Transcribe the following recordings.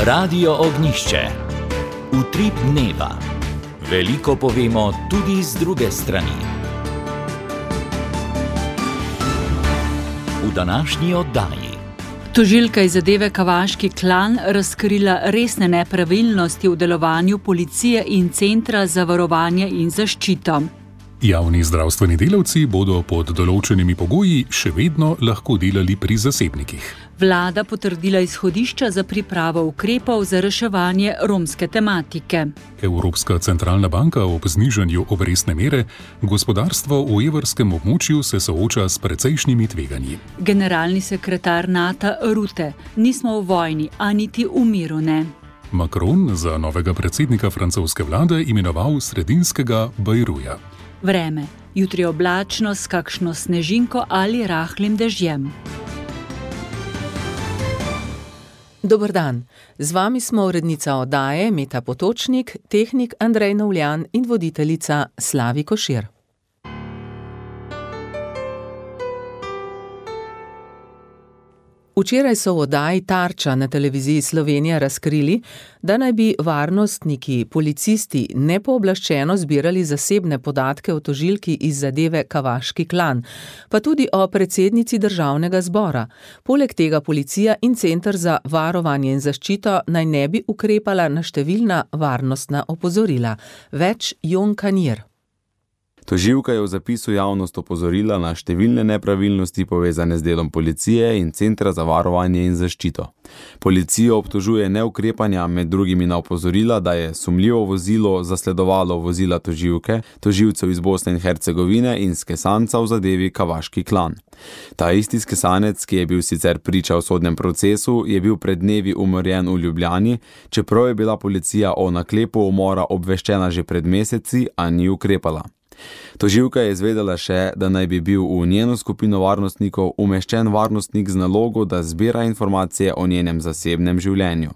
Radio Ognjišče. Utrip dneva. Veliko povemo tudi z druge strani. V današnji oddaji. Tožilka iz zadeve Kavaški klan razkrila resne nepravilnosti v delovanju policije in Centra za varovanje in zaščito. Javni zdravstveni delavci bodo pod določenimi pogoji še vedno lahko delali pri zasebnikih. Vlada potrdila izhodišča za pripravo ukrepov za reševanje romske tematike. Evropska centralna banka ob znižanju obrestne mere, gospodarstvo v evrskem območju se sooča s precejšnjimi tveganji. Generalni sekretar NATO Rutte: nismo v vojni, a niti v miru ne. Macron za novega predsednika francoske vlade imenoval sredinskega Bajruja. Vreme. Jutri oblačno s kakšno snežinko ali rahlim dežjem. Dober dan. Z vami smo urednica oddaje Meta Potočnik, tehnik Andrej Novljan in voditeljica Slavi Košir. Včeraj so v oddaji Tarča na televiziji Slovenija razkrili, da naj bi varnostniki, policisti nepooblaščeno zbirali zasebne podatke o tožilki iz zadeve Kavaški klan, pa tudi o predsednici državnega zbora. Poleg tega policija in Center za varovanje in zaščito naj ne bi ukrepala na številna varnostna opozorila. Več Jon Kanjer. Tožilka je v zapisu javnost opozorila na številne nepravilnosti povezane z delom policije in Centra za varovanje in zaščito. Policijo obtožuje neukrepanja, med drugimi na opozorila, da je sumljivo vozilo zasledovalo vozila tožilke, tožilcev iz Bosne in Hercegovine in skesanca v zadevi Kavaški klan. Ta isti skesanec, ki je bil sicer priča v sodnem procesu, je bil pred dnevi umorjen v Ljubljani, čeprav je bila policija o naklepu umora obveščena že pred meseci, a ni ukrepala. Tožilka je izvedela še, da naj bi bil v njeno skupino varnostnikov umeščen varnostnik z nalogo, da zbira informacije o njenem zasebnem življenju.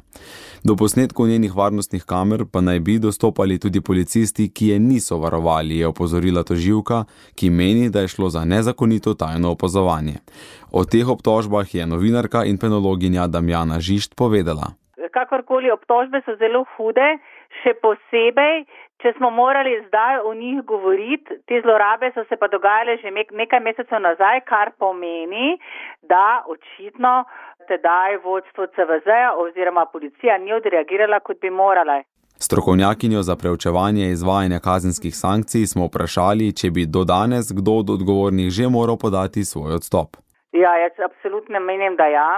Do posnetkov njenih varnostnih kamer pa naj bi dostopali tudi policisti, ki je niso varovali, je opozorila tožilka, ki meni, da je šlo za nezakonito tajno opazovanje. O teh obtožbah je novinarka in penologinja Damjana Žišt povedala. Kakorkoli, obtožbe so zelo hude, še posebej, če smo morali zdaj o njih govoriti. Te zlorabe so se pa dogajale že nekaj mesecev nazaj, kar pomeni, da očitno tedaj vodstvo CVZ-ja oziroma policija ni odreagirala, kot bi morala. Strokovnjakinjo za preučevanje izvajanja kazenskih sankcij smo vprašali, če bi do danes kdo od odgovornih že moral podati svoj odstop. Ja, jaz absolutno menim, da ja.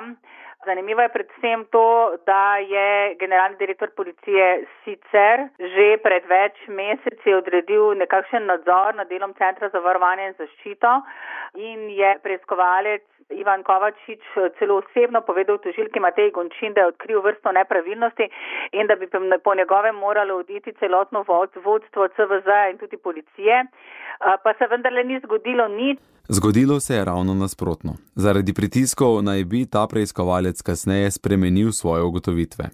Zanimivo je predvsem to, da je generalni direktor policije sicer že pred več meseci odredil nekakšen nadzor nad delom Centra za varovanje in zaščito in je preiskovalec Ivan Kovačič celo osebno povedal tožilki Mateji Gončin, da je odkril vrsto nepravilnosti in da bi po njegovem moralo oditi celotno vodstvo CVZ in tudi policije, pa se vendarle ni zgodilo nič. Zgodilo se je ravno nasprotno. Zaradi pritiskov naj bi ta preiskovalec kasneje spremenil svoje ugotovitve.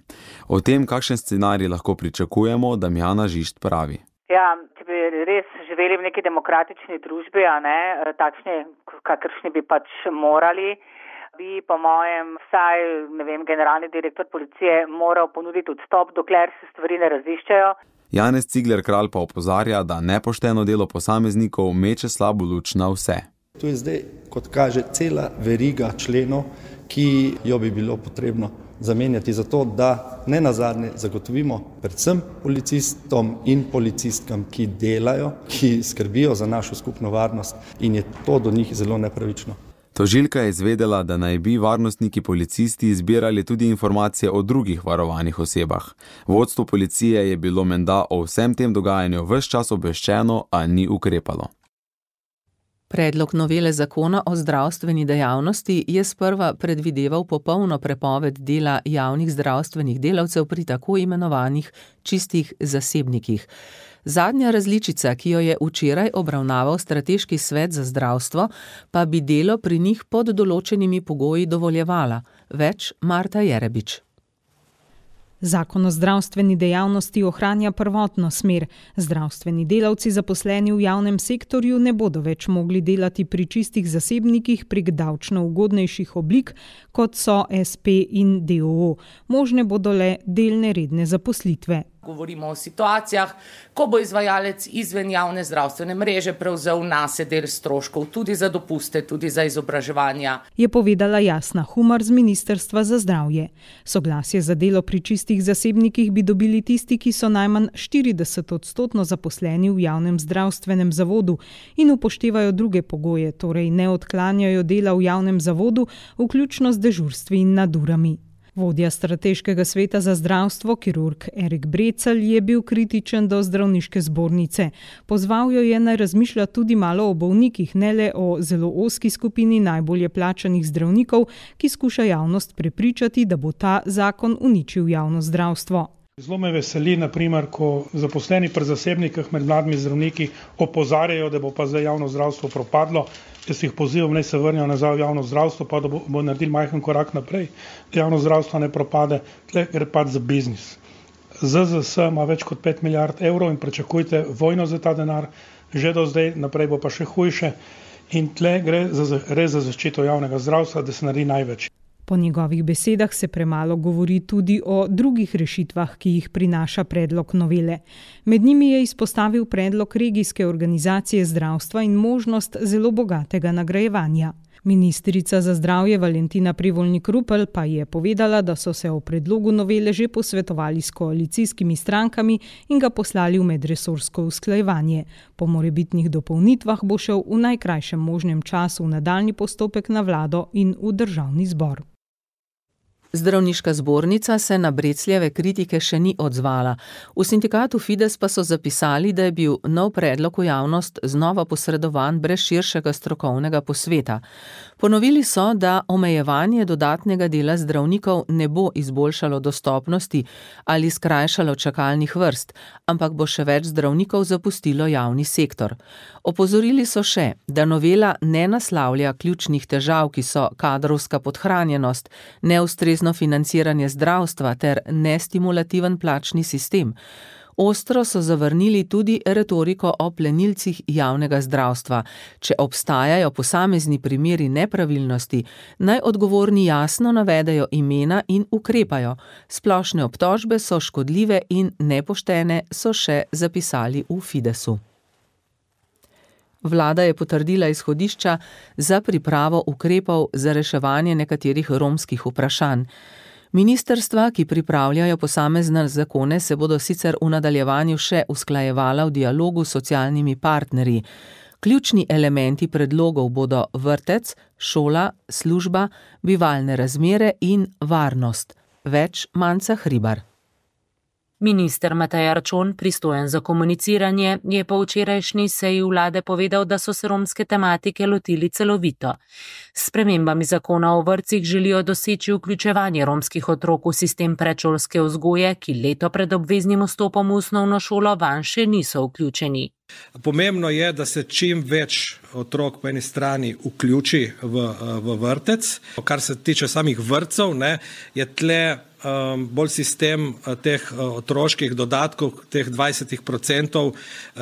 O tem, kakšen scenarij lahko pričakujemo, Damjana Žišt pravi. Ja, če bi res živeli v neki demokratični družbi, a ne, takšni, kakršni bi pač morali, bi po mojem vsaj, generalni direktor policije moral ponuditi odstop, dokler se stvari ne raziščejo. Janez Cigler Kralj pa opozarja, da nepošteno delo posameznikov meče slabo luč na vse. To je zdaj, kot kaže, cela veriga členov, ki jo bi bilo potrebno zamenjati za to, da nenazadnje zagotovimo predvsem policistom in policistkam, ki delajo, ki skrbijo za našo skupno varnost in je to do njih zelo nepravično. Tožilka je izvedela, da naj bi varnostniki policisti zbirali tudi informacije o drugih varovanih osebah. Vodstvo policije je bilo menda o vsem tem dogajanju ves čas obveščeno, a ni ukrepalo. Predlog novele zakona o zdravstveni dejavnosti je sprva predvideval popolno prepoved dela javnih zdravstvenih delavcev pri tako imenovanih čistih zasebnikih. Zadnja različica, ki jo je včeraj obravnaval Strateški svet za zdravstvo, pa bi delo pri njih pod določenimi pogoji dovoljevala. Več Marta Jerebič. Zakon o zdravstveni dejavnosti ohranja prvotno smer. Zdravstveni delavci zaposleni v javnem sektorju ne bodo več mogli delati pri čistih zasebnikih prek davčno ugodnejših oblik, kot so SP in DOO. Možne bodo le delne redne zaposlitve. Govorimo o situacijah, ko bo izvajalec izven javne zdravstvene mreže prevzel nase del stroškov tudi za dopuste, tudi za izobraževanja. Je povedala Jasna Humar z Ministrstva za zdravje. Soglasje za delo pri čistih zasebnikih bi dobili tisti, ki so najmanj 40% zaposleni v javnem zdravstvenem zavodu in upoštevajo druge pogoje, torej ne odklanjajo dela v javnem zavodu, vključno z dežurstvi in nadurami. Vodja strateškega sveta za zdravstvo, kirurg Erik Brecelj, je bil kritičen do zdravniške zbornice. Pozval jo je, naj razmišlja tudi malo o bolnikih, ne le o zelo ozki skupini najbolje plačanih zdravnikov, ki skuša javnost prepričati, da bo ta zakon uničil javno zdravstvo. Zelo me veseli, naprimer, ko zaposleni pri zasebnikih med mladimi zdravniki opozarjajo, da bo pa zdaj javno zdravstvo propadlo. Jaz jih pozivam, naj se vrnijo nazaj v javno zdravstvo, pa da bo naredili majhen korak naprej, da javno zdravstvo ne propade, tle gre pač za biznis. ZZS ima več kot 5 milijard evrov in pričakujte vojno za ta denar, že do zdaj, naprej bo pa še hujše in tle gre res za zaščito javnega zdravstva, da se naredi največ. Po njegovih besedah se premalo govori tudi o drugih rešitvah, ki jih prinaša predlog novele. Med njimi je izpostavil predlog regijske organizacije zdravstva in možnost zelo bogatega nagrajevanja. Ministrica za zdravje Valentina Prevolnik-Rupel pa je povedala, da so se o predlogu novele že posvetovali s koalicijskimi strankami in ga poslali v medresorsko usklajevanje. Po morebitnih dopolnitvah bo šel v najkrajšem možnem času v nadaljnji postopek na vlado in v državni zbor. Zdravniška zbornica se na Brecljeve kritike še ni odzvala. V sindikatu Fides pa so zapisali, da je bil nov predlog v javnost znova posredovan brez širšega strokovnega posveta. Ponovili so, da omejevanje dodatnega dela zdravnikov ne bo izboljšalo dostopnosti ali skrajšalo čakalnih vrst, ampak bo še več zdravnikov zapustilo javni sektor. Opozorili so še, da novela ne naslavlja ključnih težav, ki so kadrovska podhranjenost, neustrezno financiranje zdravstva ter nestimulativen plačni sistem. Ostro so zavrnili tudi retoriko o plenilcih javnega zdravstva. Če obstajajo posamezni primeri nepravilnosti, naj odgovorni jasno navedejo imena in ukrepajo. Splošne obtožbe so škodljive in nepoštene, so še zapisali v Fidesu. Vlada je potrdila izhodišča za pripravo ukrepov za reševanje nekaterih romskih vprašanj. Ministrstva, ki pripravljajo posamezne zakone, se bodo sicer v nadaljevanju še usklajevala v dialogu s socialnimi partnerji. Ključni elementi predlogov bodo vrtec, šola, služba, bivalne razmere in varnost. Več Manca Hribar. Minister Matej Arčon, pristojen za komuniciranje, je po včerajšnji seji vlade povedal, da so se romske tematike lotili celovito. S spremembami zakona o vrtcih želijo doseči vključevanje romskih otrok v sistem predšolske vzgoje, ki leto pred obveznim vstopom v osnovno šolo vanj še niso vključeni. Pomembno je, da se čim več otrok po eni strani vključi v vrtec. Kar se tiče samih vrtcev, je tle bolj sistem teh otroških dodatkov, teh 20%,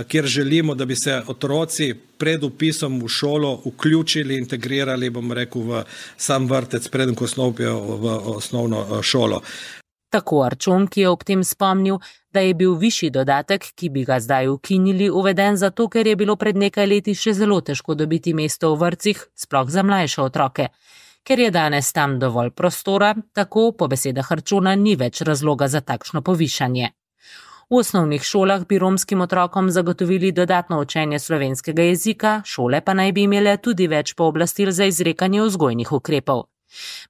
kjer želimo, da bi se otroci pred vpisom v šolo vključili, integrirali, v sam vrtec, preden ko vstopijo v osnovno šolo. Tako Arčon, ki je ob tem spomnil, da je bil višji dodatek, ki bi ga zdaj ukinili, uveden zato, ker je bilo pred nekaj leti še zelo težko dobiti mesto v vrtcih, sploh za mlajše otroke. Ker je danes tam dovolj prostora, tako po besedah Arčona ni več razloga za takšno povišanje. V osnovnih šolah bi romskim otrokom zagotovili dodatno učenje slovenskega jezika, šole pa naj bi imele tudi več pooblastil za izrekanje vzgojnih ukrepov.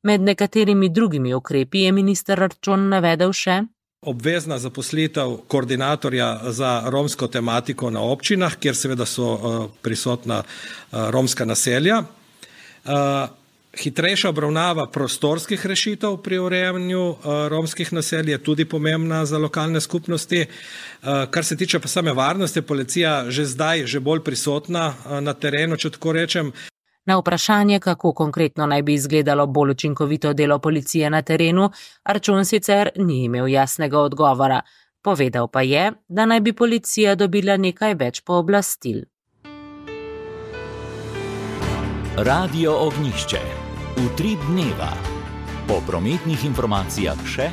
Med nekaterimi drugimi ukrepi je minister Arčon navedel še obvezna zaposlitev koordinatorja za romsko tematiko na občinah, kjer seveda so prisotna romska naselja. Hitrejša obravnava prostorskih rešitev pri urejanju romskih naselij je tudi pomembna za lokalne skupnosti. Kar se tiče pa same varnosti, policija že zdaj bolj prisotna na terenu, če tako rečem. Na vprašanje, kako konkretno naj bi izgledalo bolj učinkovito delo policije na terenu, Arčon sicer ni imel jasnega odgovora. Povedal pa je, da naj bi policija dobila nekaj več pooblastil. Radio Ognjišče. Utrip dneva. Po prometnih informacijah še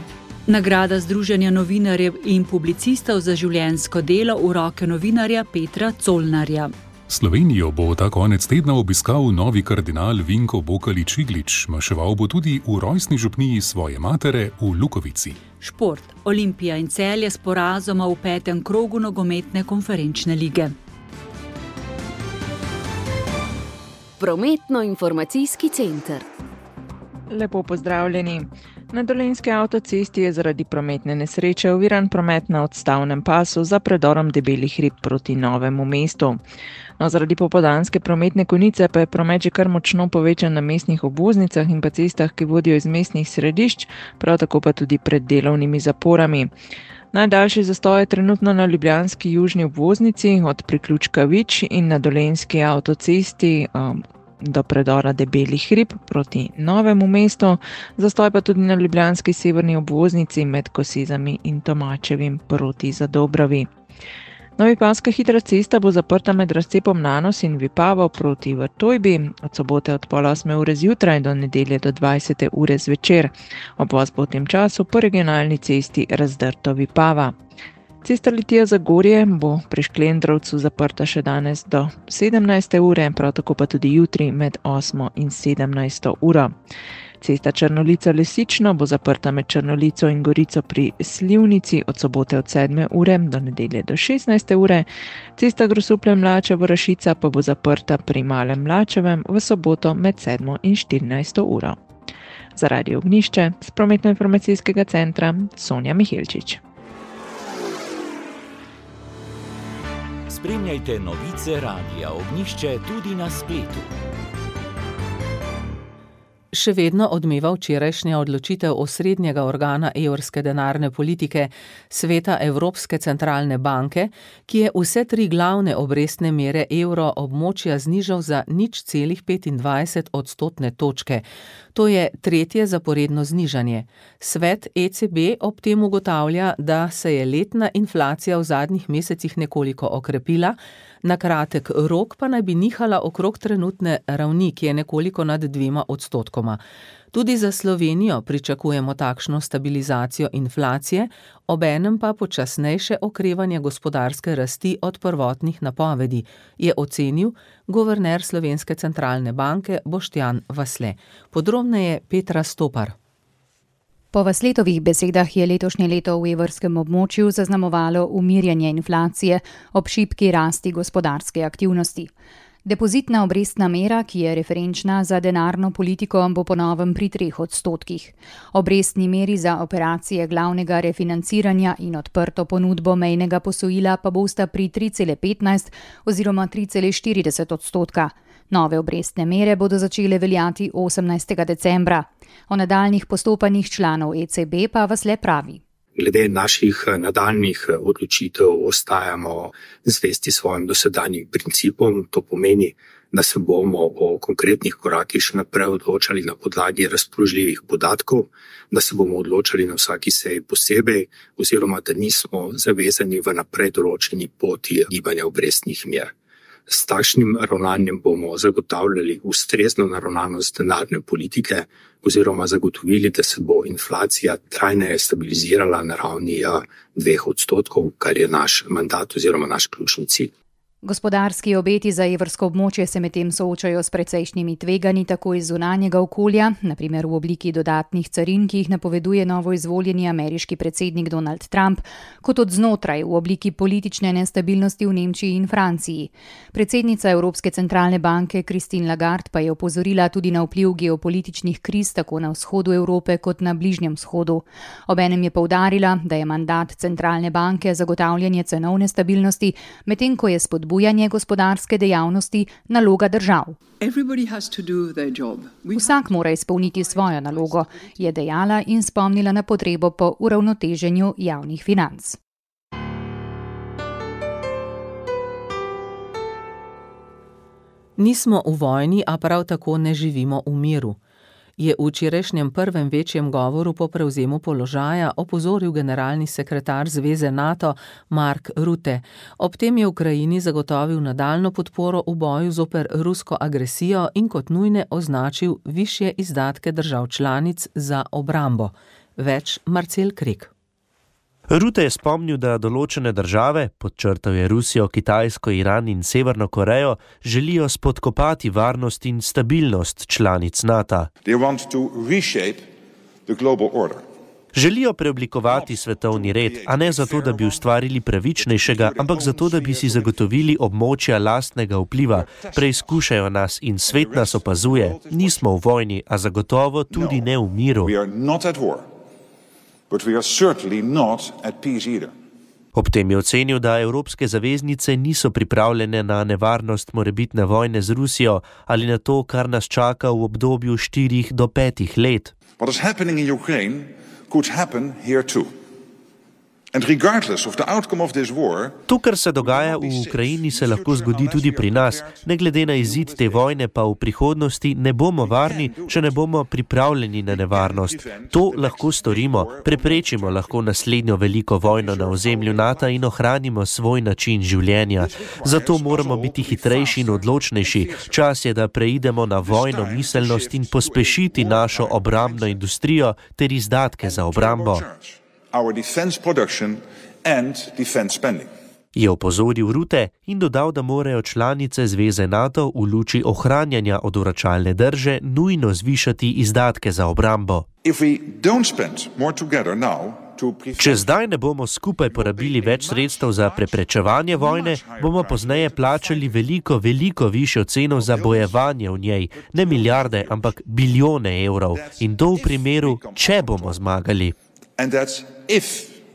nagrada Združenja novinarjev in publicistov za življenjsko delo v roke novinarja Petra Colnarja. Slovenijo bo ta konec tedna obiskal novi kardinal Vinko Bokalič-Iglič, maševal bo tudi v rojstni župniji svoje matere v Lukovici. Šport, Olimpija in Celje s porazoma v 5. krogu nogometne konferenčne lige. Prometno-informacijski center. Lepo pozdravljeni. Na Dolenjski avtocesti je zaradi prometne nesreče oviran promet na odstavnem pasu za predorom Debelih hrib proti Novemu mestu. No, zaradi popoldanske prometne konice pa je promet že kar močno povečan na mestnih obvoznicah in pa cestah, ki vodijo iz mestnih središč, prav tako pa tudi pred delovnimi zaporami. Najdaljši zastoj je trenutno na ljubljanski južni obvoznici od priključka Vič in na Dolenjski avtocesti do predora Debelih hrib proti Novemu mestu, zastoj pa tudi na ljubljanski severni obvoznici med Kosezami in Tomačevim proti Zadobravi. Novipavska hitra cesta bo zaprta med razcepom Nanos in Vipavo proti Vrtojbi od sobote od 7:30 zjutraj do nedelje do 20. ure zvečer. Obvoz bo v tem času po regionalni cesti Razdrto Vipava. Cesta Litija-Zagorje bo pri Šklendrovcu zaprta še danes do 17. ure, prav tako pa tudi jutri med 8. in 17. uro. Cesta Črnolica-Lesično bo zaprta med Črnolico in Gorico pri Slivnici od sobote od 7. ure do nedelje do 16. ure. Cesta Grosuplje-Mlačevo-Rašica pa bo zaprta pri Malem Mlačevem v soboto med 7. in 14. uro. Za Radio Ognjišče z prometno-informacijskega centra Sonja Mihelčič. Spremljajte novice Radia Ognjišče tudi na spletu. Še vedno odmeva včerajšnja odločitev osrednjega organa evrske denarne politike, Sveta Evropske centralne banke, ki je vse 3 glavne obrestne mere evro območja znižal za 0,25 odstotne točke. To je 3. zaporedno znižanje. Svet ECB ob tem ugotavlja, da se je letna inflacija v zadnjih mesecih nekoliko okrepila, na kratek rok pa naj bi nihala okrog trenutne ravni, ki je nekoliko nad 2 odstotkoma. Tudi za Slovenijo pričakujemo takšno stabilizacijo inflacije, obenem pa počasnejše okrevanje gospodarske rasti od prvotnih napovedi, je ocenil guverner Slovenske centralne banke Boštjan Vasle. Podrobneje Petra Stopar. Po Vasletovih besedah je letošnje leto v evrskem območju zaznamovalo umirjanje inflacije ob šibki rasti gospodarske aktivnosti. Depozitna obrestna mera, ki je referenčna za denarno politiko, bo po novem pri 3 odstotkih. Obrestni meri za operacije glavnega refinanciranja in odprto ponudbo mejnega posojila pa bosta pri 3,15 oziroma 3,40 odstotka. Nove obrestne mere bodo začele veljati 18. decembra. O nadaljnih postopanjih članov ECB pa Vasle pravi. Glede naših nadaljnih odločitev ostajamo zvesti svojim dosedanjim principom. To pomeni, da se bomo o konkretnih korakih še naprej odločali na podlagi razpoložljivih podatkov, da se bomo odločali na vsaki seji posebej oziroma da nismo zavezani v naprej določeni poti gibanja obrestnih mer. S takšnim ravnanjem bomo zagotavljali ustrezno naravnanost denarne politike oziroma zagotovili, da se bo inflacija trajneje stabilizirala na ravni 2 odstotkov, kar je naš mandat oziroma naš ključni cilj. Gospodarski obeti za evrsko območje se medtem soočajo s precejšnjimi tveganji tako iz zunanjega okolja, na primer v obliki dodatnih carin, ki jih napoveduje novo izvoljeni ameriški predsednik Donald Trump, kot od znotraj v obliki politične nestabilnosti v Nemčiji in Franciji. Predsednica Evropske centralne banke Christine Lagarde pa je opozorila tudi na vpliv geopolitičnih kriz tako na vzhodu Evrope kot na Bližnjem vzhodu. Obenem je poudarila, da je mandat centralne banke zagotavljanje cenovne stabilnosti, medtem ko je spodbujanje gospodarske dejavnosti naloga držav. Vsak mora izpolniti svojo nalogo, je dejala in spomnila na potrebo po uravnoteženju javnih financ. Nismo v vojni, a prav tako ne živimo v miru, je v včerajšnjem prvem večjem govoru po prevzemu položaja opozoril generalni sekretar Zveze NATO Mark Rutte. Ob tem je Ukrajini zagotovil nadaljnjo podporo v boju zoper rusko agresijo in kot nujne označil višje izdatke držav članic za obrambo. Več Marcel Krek. Rutte je spomnil, da določene države, podčrtal je Rusijo, Kitajsko, Iran in Severno Korejo, želijo spodkopati varnost in stabilnost članic NATO. Želijo preoblikovati svetovni red, a ne zato, da bi ustvarili pravičnejšega, ampak zato, da bi si zagotovili območja lastnega vpliva. Preizkušajo nas in svet nas opazuje. Nismo v vojni, a zagotovo tudi ne v miru. But we are certainly not at peace either. Ob tem je ocenil, da evropske zaveznice niso pripravljene na nevarnost morebitne vojne z Rusijo ali na to, kar nas čaka v obdobju 4 do 5 let. What is happening in Ukraine could happen here too. And regardless of the outcome of this war, to, kar se dogaja v Ukrajini, se lahko zgodi tudi pri nas. Ne glede na izid te vojne, pa v prihodnosti ne bomo varni, če ne bomo pripravljeni na nevarnost. To lahko storimo, preprečimo lahko naslednjo veliko vojno na ozemlju NATO in ohranimo svoj način življenja. Zato moramo biti hitrejši in odločnejši. Čas je, da preidemo na vojno miselnost in pospešiti našo obrambno industrijo ter izdatke za obrambo. Our defense production and defense spending. Je opozoril Rutte in dodal, da morajo članice Zveze NATO v luči ohranjanja odvračalne drže nujno zvišati izdatke za obrambo. Če zdaj ne bomo skupaj porabili več sredstev za preprečevanje vojne, bomo pozneje plačali veliko višjo ceno za bojevanje v njej. Ne milijarde, ampak bilijone evrov. In to v primeru, če bomo zmagali. And that's if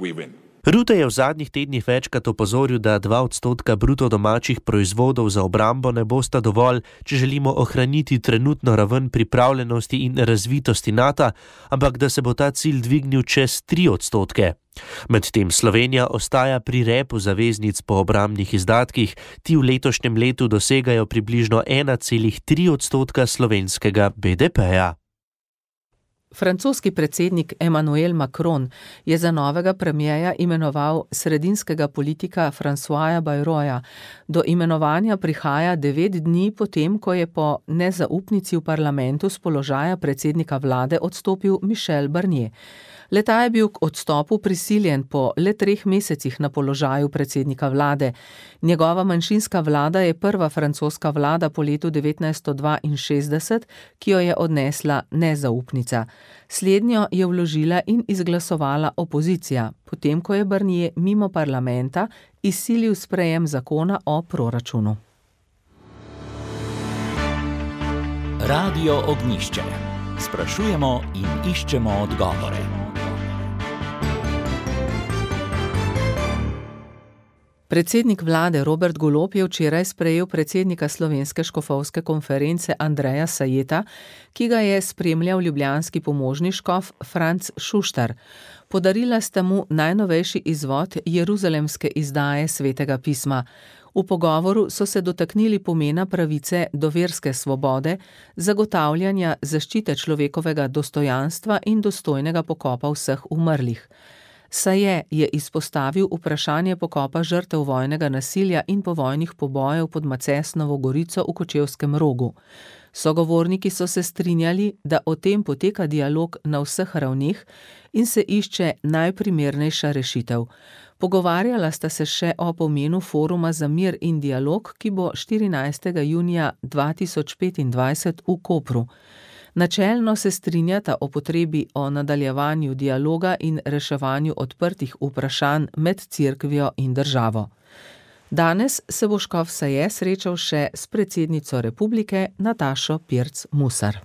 we win. Rutte je v zadnjih tednih večkrat opozoril, da 2% bruto domačih proizvodov za obrambo ne bosta dovolj, če želimo ohraniti trenutno raven pripravljenosti in razvitosti NATO, ampak da se bo ta cilj dvignil čez 3%. Medtem Slovenija ostaja pri repu zaveznic po obrambnih izdatkih, ti v letošnjem letu dosegajo približno 1,3% slovenskega BDP-ja. Francoski predsednik Emmanuel Macron je za novega premierja imenoval sredinskega politika Françoisa Bayroja. Do imenovanja prihaja 9 dni potem, ko je po nezaupnici v parlamentu s položaja predsednika vlade odstopil Michel Barnier. Le-ta je bil k odstopu prisiljen po le 3 mesecih na položaju predsednika vlade. Njegova manjšinska vlada je prva francoska vlada po letu 1962, ki jo je odnesla nezaupnica. Slednjo je vložila in izglasovala opozicija, potem ko je Barnier mimo parlamenta izsilil sprejem zakona o proračunu. Radio Ognjišče. Sprašujemo in iščemo odgovore. Predsednik vlade Robert Golob je včeraj sprejel predsednika Slovenske škofovske konference Andreja Sajeta, ki ga je spremljal ljubljanski pomožni škof Franc Šuštar. Podarila sta mu najnovejši izvod jeruzalemske izdaje Svetega pisma. V pogovoru so se dotaknili pomena pravice do verske svobode, zagotavljanja zaščite človekovega dostojanstva in dostojnega pokopa vseh umrlih. Saje je izpostavil vprašanje pokopa žrtev vojnega nasilja in povojnih pobojev pod Macesnovo Gorico v Kočevskem Rogu. Sogovorniki so se strinjali, da o tem poteka dialog na vseh ravneh in se išče najprimernejša rešitev. Pogovarjala sta se še o pomenu foruma za mir in dialog, ki bo 14. junija 2025 v Kopru. Načelno se strinjata o potrebi o nadaljevanju dialoga in reševanju odprtih vprašanj med cerkvijo in državo. Danes se bo škof Saje srečal še s predsednico republike Natašo Pirc Musar.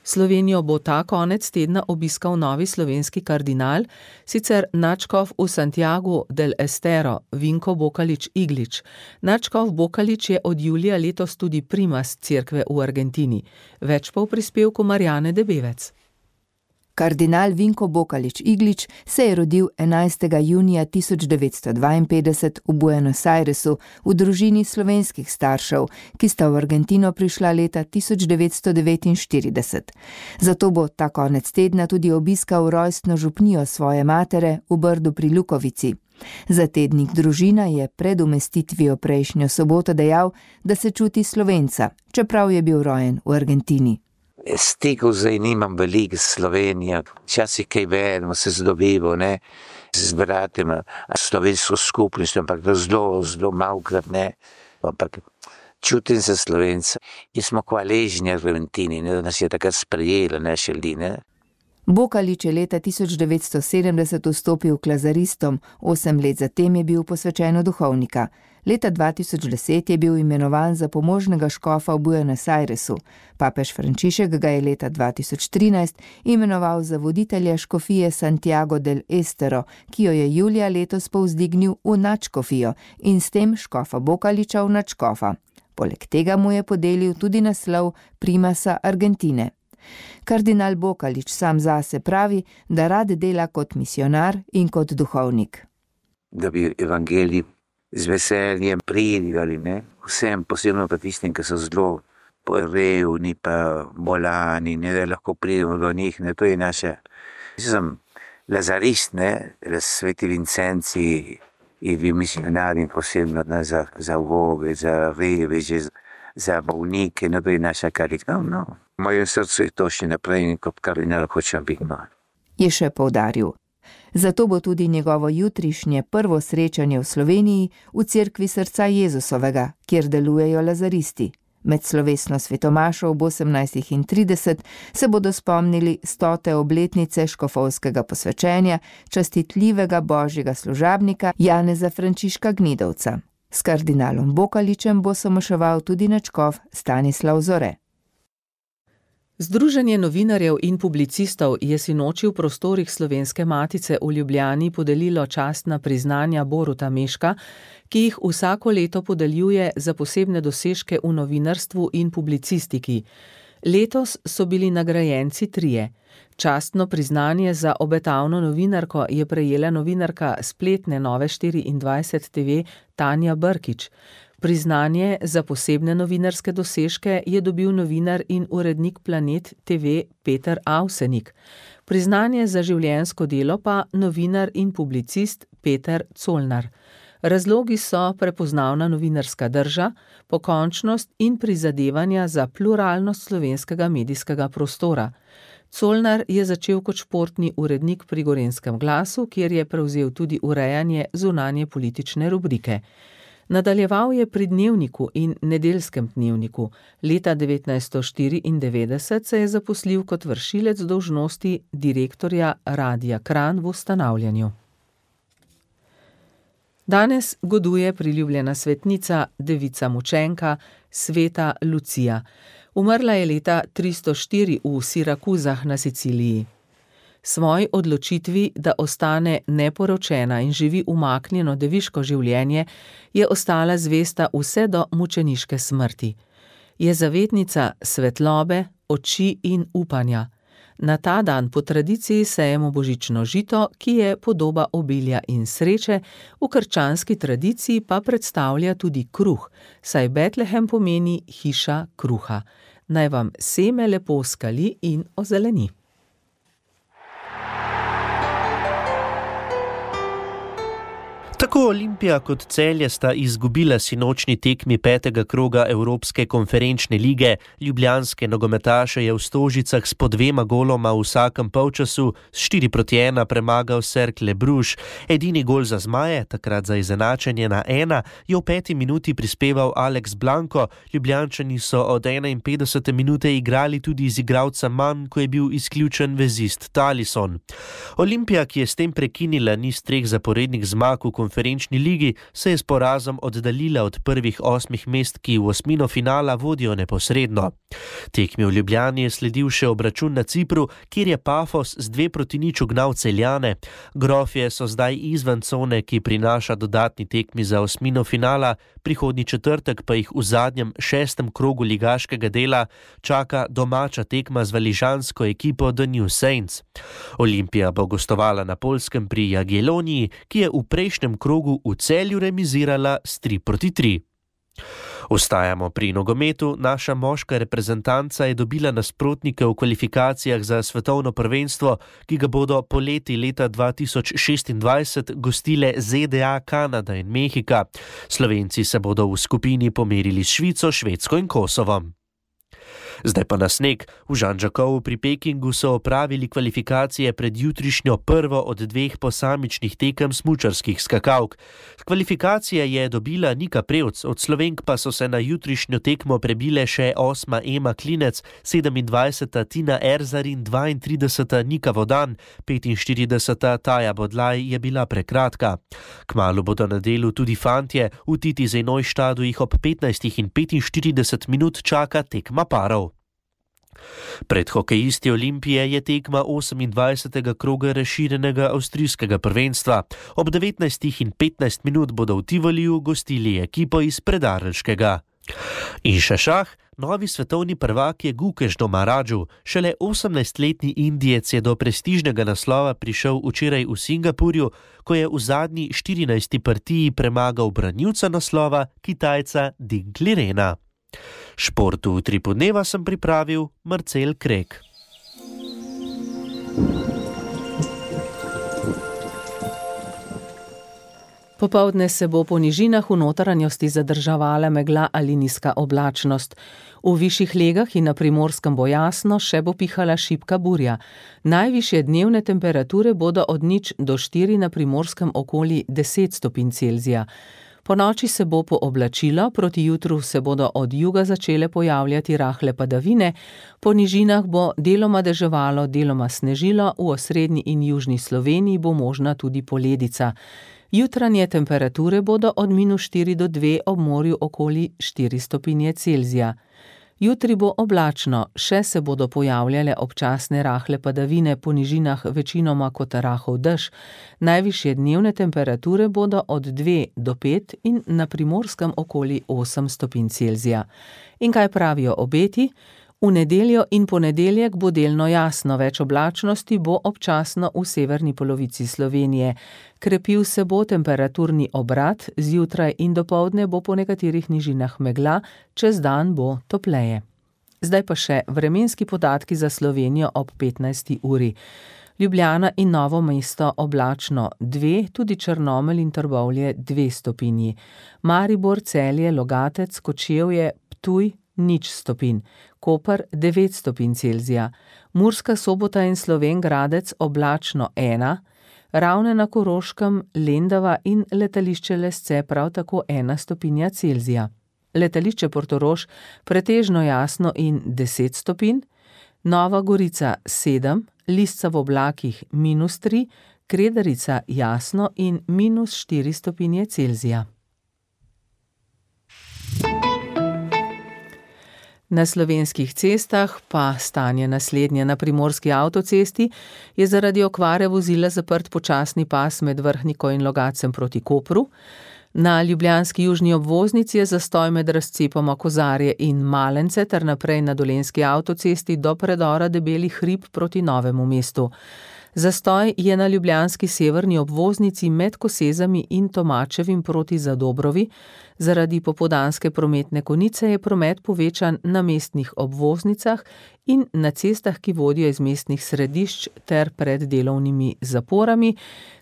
Slovenijo bo ta konec tedna obiskal novi slovenski kardinal, sicer nadškof v Santiagu del Estero, Vinko Bokalič Iglič. Nadškof Bokalič je od julija letos tudi primas cerkve v Argentini. Več pa v prispevku Marjane Debevec. Kardinal Vinko Bokalič-Iglič se je rodil 11. junija 1952 v Buenos Airesu v družini slovenskih staršev, ki sta v Argentino prišla leta 1949. Zato bo ta konec tedna tudi obiskal rojstno župnijo svoje matere v Brdu pri Lukovici. Za tednik Družina je pred umestitvijo prejšnjo soboto dejal, da se čuti Slovenca, čeprav je bil rojen v Argentini. Stikov zdaj nimam veliko s Slovenijo, včasih kaj vedno se zdobivo, ne, z bratima, slovensko skupnostjo, ampak zelo malokrat ne, ampak čutim se Slovenca. In smo hvaležni Argentini, ne, da nas je takrat sprejela naše ljudi, ne. Bokalič je leta 1970 vstopil k lazaristom, 8 let zatem je bil posvečen v duhovnika. Leta 2010 je bil imenovan za pomožnega škofa v Buenos Airesu. Papež Frančišek ga je leta 2013 imenoval za voditelja škofije Santiago del Estero, ki jo je julija letos povzdignil v nadškofijo in s tem škofa Bokaliča v nadškofa. Poleg tega mu je podelil tudi naslov primasa Argentine. Kardinal Bokalič sam zase pravi, da rad dela kot misionar in kot duhovnik. Da bi evangelij z veseljem prijeli, ne? Vsem, posebno pa tistim, ki so zelo revni pa bolani, ne, da lahko pridemo do njih, ne, to je naša. Sem lazarist, ne, sveti Vincenci in vi misionari posebno, ne, za voge, za reveže, za bolnike, ne, to je naša karita. No. V mojem srcu je to še naprej in kot kardinal hočem biti. No. Je še poudaril. Zato bo tudi njegovo jutrišnje prvo srečanje v Sloveniji v cerkvi Srca Jezusovega, kjer delujejo lazaristi. Med slovesno svetomašo ob 18:30 se bodo spomnili 100. obletnice škofovskega posvečenja častitljivega božjega služabnika Janeza Frančiška Gnidovca. S kardinalom Bokaličem bo somoševal tudi nadškof Stanislav Zore. Združenje novinarjev in publicistov je sinoči v prostorih Slovenske matice v Ljubljani podelilo častna priznanja Boruta Meška, ki jih vsako leto podeljuje za posebne dosežke v novinarstvu in publicistiki. Letos so bili nagrajenci 3. Častno priznanje za obetavno novinarko je prejela novinarka spletne Nove24 TV Tanja Brkič. Priznanje za posebne novinarske dosežke je dobil novinar in urednik Planet TV Peter Avsenik. Priznanje za življenjsko delo pa novinar in publicist Peter Colnar. Razlogi so prepoznavna novinarska drža, pokončnost in prizadevanja za pluralnost slovenskega medijskega prostora. Colnar je začel kot športni urednik pri Gorenjskem glasu, kjer je prevzel tudi urejanje zunanje politične rubrike. Nadaljeval je pri Dnevniku in Nedeljskem dnevniku. Leta 1994 se je zaposlil kot vršilec dolžnosti direktorja Radia Kranj v ustanavljanju. Danes goduje priljubljena svetnica, devica mučenka, sveta Lucija. Umrla je leta 304 v Sirakuzah na Siciliji. Svoji odločitvi, da ostane neporočena in živi umaknjeno deviško življenje, je ostala zvesta vse do mučeniške smrti. Je zavetnica svetlobe, oči in upanja. Na ta dan po tradiciji sejemo božično žito, ki je podoba obilja in sreče, v krščanski tradiciji pa predstavlja tudi kruh, saj Betlehem pomeni hiša kruha. Naj vam seme lepo skali in ozeleni. Tako Olimpija kot Celje sta izgubila sinočni tekmi 5. kroga Evropske konferenčne lige. Ljubljanske nogometaše je v Stožicah s po 2 goloma v vsakem polčasu s 4:1 premagal Cercle Bruges. Edini gol za zmaje, takrat za izenačenje na 1, je v 5. minuti prispeval Alex Blanco. Ljubljančani so od 51. minute igrali tudi z igralcem manj, ko je bil izključen vezist Talisson. Olimpija, ki je s tem prekinila niz 3 zaporednih zmag v konferenčni ligi, se je s porazom oddaljila od prvih 8 mest, ki v osmino finala vodijo neposredno. Tekmi v Ljubljani je sledil še obračun na Cipru, kjer je Pafos z 2-0 ugnal Celjane. Grofje so zdaj izven cone, ki prinaša dodatni tekmi za osmino finala, prihodnji četrtek pa jih v zadnjem 6. krogu ligaškega dela čaka domača tekma z valižansko ekipo The New Saints. Olimpija bo gostovala na Poljskem pri Jagielloniji, ki je v prejšnjem krogu v Celju remizirala s 3-3. Ostajamo pri nogometu. Naša moška reprezentanca je dobila nasprotnike v kvalifikacijah za svetovno prvenstvo, ki ga bodo poleti leta 2026 gostile ZDA, Kanada in Mehika. Slovenci se bodo v skupini pomerili s Švico, Švedsko in Kosovom. Zdaj pa na sneg. V Žanžakovu pri Pekingu so opravili kvalifikacije pred jutrišnjo prvo od 2 posamičnih tekem smučarskih skakalk. Kvalifikacije je dobila Nika Prevc, od Slovenk pa so se na jutrišnjo tekmo prebile še 8. Ema Klinec, 27. Tina Erzar in 32. Nika Vodan, 45. Taja Bodlaj je bila prekratka. Kmalu bodo na delu tudi fantje, v Titize Neuštadu jih ob 15:45 čaka tekma parov. Pred hokejisti Olimpije je tekma 28. kroga razširjenega avstrijskega prvenstva. Ob 19:15 bodo v Tivoliju gostili ekipo iz Predarelškega. In še šah, novi svetovni prvak je Gukesh Domarađu. Šele 18-letni Indijec je do prestižnega naslova prišel včeraj v Singapurju, ko je v zadnji 14. partiji premagal branilca naslova, Kitajca Ding Lirena. Športu v Utripu dneva sem pripravil Marcel Krek. Popoldne se bo po nižinah v notranjosti zadrževala megla ali nizka oblačnost. V višjih legah in na Primorskem bo jasno, še bo pihala šibka burja. Najvišje dnevne temperature bodo od 0 do 4, na Primorskem okoli 10 stopinj Celzija. Po noči se bo pooblačilo, proti jutru se bodo od juga začele pojavljati rahle padavine, po nižinah bo deloma deževalo, deloma snežilo, v osrednji in južni Sloveniji bo možna tudi poledica. Jutranje temperature bodo od -4 do 2, ob morju okoli 4 stopinje Celzija. Jutri bo oblačno, še se bodo pojavljale občasne rahle padavine, po nižinah večinoma kot rahel dež. Najvišje dnevne temperature bodo od 2 do 5 in na Primorskem okoli 8 stopinj Celzija. In kaj pravijo obeti? V nedeljo in ponedeljek bo delno jasno, več oblačnosti bo občasno v severni polovici Slovenije. Krepil se bo temperaturni obrat, zjutraj in dopoldne bo po nekaterih nižinah megla, čez dan bo topleje. Zdaj pa še vremenski podatki za Slovenijo ob 15. uri. Ljubljana in Novo mesto oblačno 2, tudi Črnomelj in Trbovlje 2 stopinji. Maribor, Celje, Logatec, Kočevje, Ptuj 0 stopinj. Koper 9 stopinj Celzija. Murska Sobota in Slovenj Gradec oblačno 1, Ravne na Koroškem, Lendava in letališče Lesce prav tako 1 stopinja Celzija. Letališče Portorož pretežno jasno in 10 stopinj, Nova Gorica 7, Lisca v oblakih -3, Kredarica jasno in -4 stopinje Celzija. Na slovenskih cestah pa stanje naslednje. Na Primorski avtocesti je zaradi okvare vozila zaprt počasni pas med Vrhniko in Logacem proti Kopru. Na ljubljanski južni obvoznici je zastoj med razcepoma Kozarje in Malence ter naprej na Dolenjski avtocesti do predora Debeli hrib proti Novemu mestu. Zastoj je na ljubljanski severni obvoznici med Kosezami in Tomačevim proti Zadobrovi. Zaradi popoldanske prometne konice je promet povečan na mestnih obvoznicah in na cestah, ki vodijo iz mestnih središč ter pred delovnimi zaporami.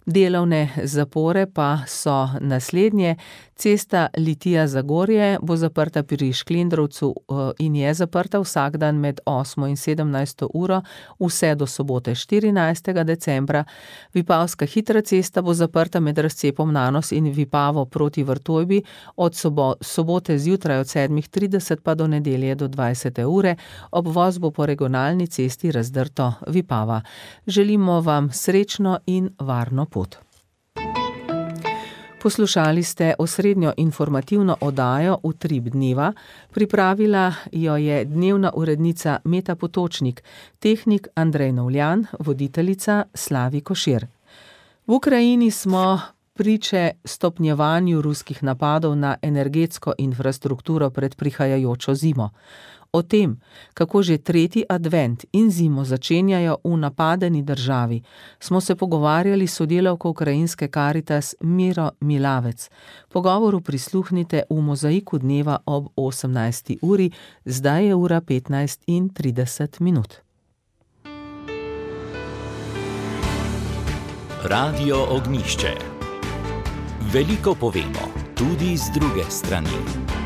Delovne zapore pa so naslednje. Cesta Litija-Zagorje bo zaprta pri Šklendrovcu in je zaprta vsak dan med 8 in 17 uro, vse do sobote 14. decembra. Vipavska hitra cesta bo zaprta med razcepom Nanos in Vipavo proti Vrtojbi od sobote zjutraj od 7:30 pa do nedelje do 20. ure. Obvoz bo po regionalni cesti Razdrto Vipava. Želimo vam srečno in varno pot. Poslušali ste osrednjo informativno oddajo Utrip dneva, pripravila jo je dnevna urednica Meta Potočnik, tehnik Andrej Novljan, voditeljica Slavi Košir. V Ukrajini smo priče stopnjevanju ruskih napadov na energetsko infrastrukturo pred prihajajočo zimo. O tem, kako že tretji advent in zimo začenjajo v napadeni državi, smo se pogovarjali s sodelavko ukrajinske Karitas Miro Milavec. Pogovoru prisluhnite v Mozaiku dneva ob 18. uri, zdaj je ura 15:30. Radio Ognjišče. Veliko povemo, tudi z druge strani.